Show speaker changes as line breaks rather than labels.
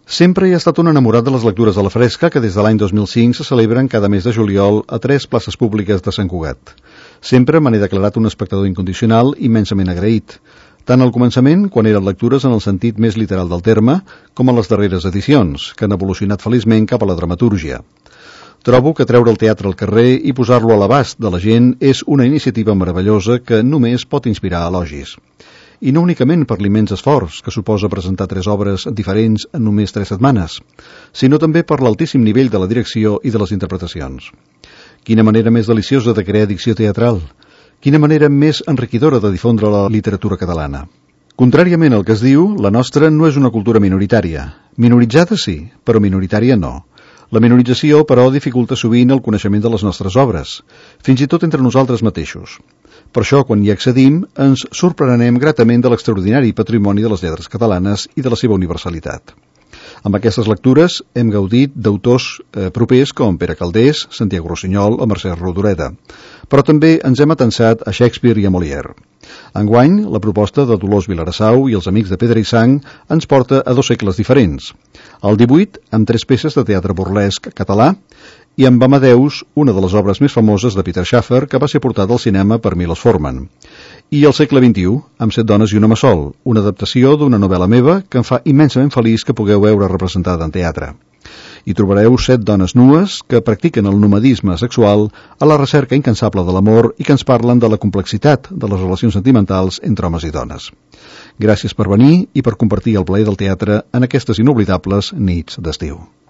Sempre he estat un enamorat de les lectures a la fresca que des de l'any 2005 se celebren cada mes de juliol a 3 places públiques de Sant Cugat. Sempre me n'he declarat un espectador incondicional immensament agraït, tant al començament, quan eren lectures en el sentit més literal del terme, com a les darreres edicions, que han evolucionat feliçment cap a la dramatúrgia. Trobo que treure el teatre al carrer i posar-lo a l'abast de la gent és una iniciativa meravellosa que només pot inspirar elogis. I no únicament per l'immens esforç que suposa presentar 3 obres diferents en només 3 setmanes, sinó també per l'altíssim nivell de la direcció i de les interpretacions. Quina manera més deliciosa de crear dicció teatral! Quina manera més enriquidora de difondre la literatura catalana! Contràriament al que es diu, la nostra no és una cultura minoritària. Minoritzada sí, però minoritària no. La minorització, però, dificulta sovint el coneixement de les nostres obres, fins i tot entre nosaltres mateixos. Per això, quan hi accedim, ens sorprenem gratament de l'extraordinari patrimoni de les lletres catalanes i de la seva universalitat. Amb aquestes lectures hem gaudit d'autors propers com Pere Calders, Santiago Rossinyol o Mercè Rodoreda, però també ens hem atensat a Shakespeare i a Molière. Enguany, la proposta de Dolors Vilarassau i els Amics de Pedra i Sang ens porta a 2 segles diferents. El 18, amb 3 peces de teatre burlesc català, i amb Amadeus, una de les obres més famoses de Peter Shaffer, que va ser portada al cinema per Milos Forman. I el segle XXI, amb 7 dones i un home sol, una adaptació d'una novel·la meva que em fa immensament feliç que pugueu veure representada en teatre. Hi trobareu 7 dones nues que practiquen el nomadisme sexual a la recerca incansable de l'amor i que ens parlen de la complexitat de les relacions sentimentals entre homes i dones. Gràcies per venir i per compartir el plaer del teatre en aquestes inoblidables nits d'estiu.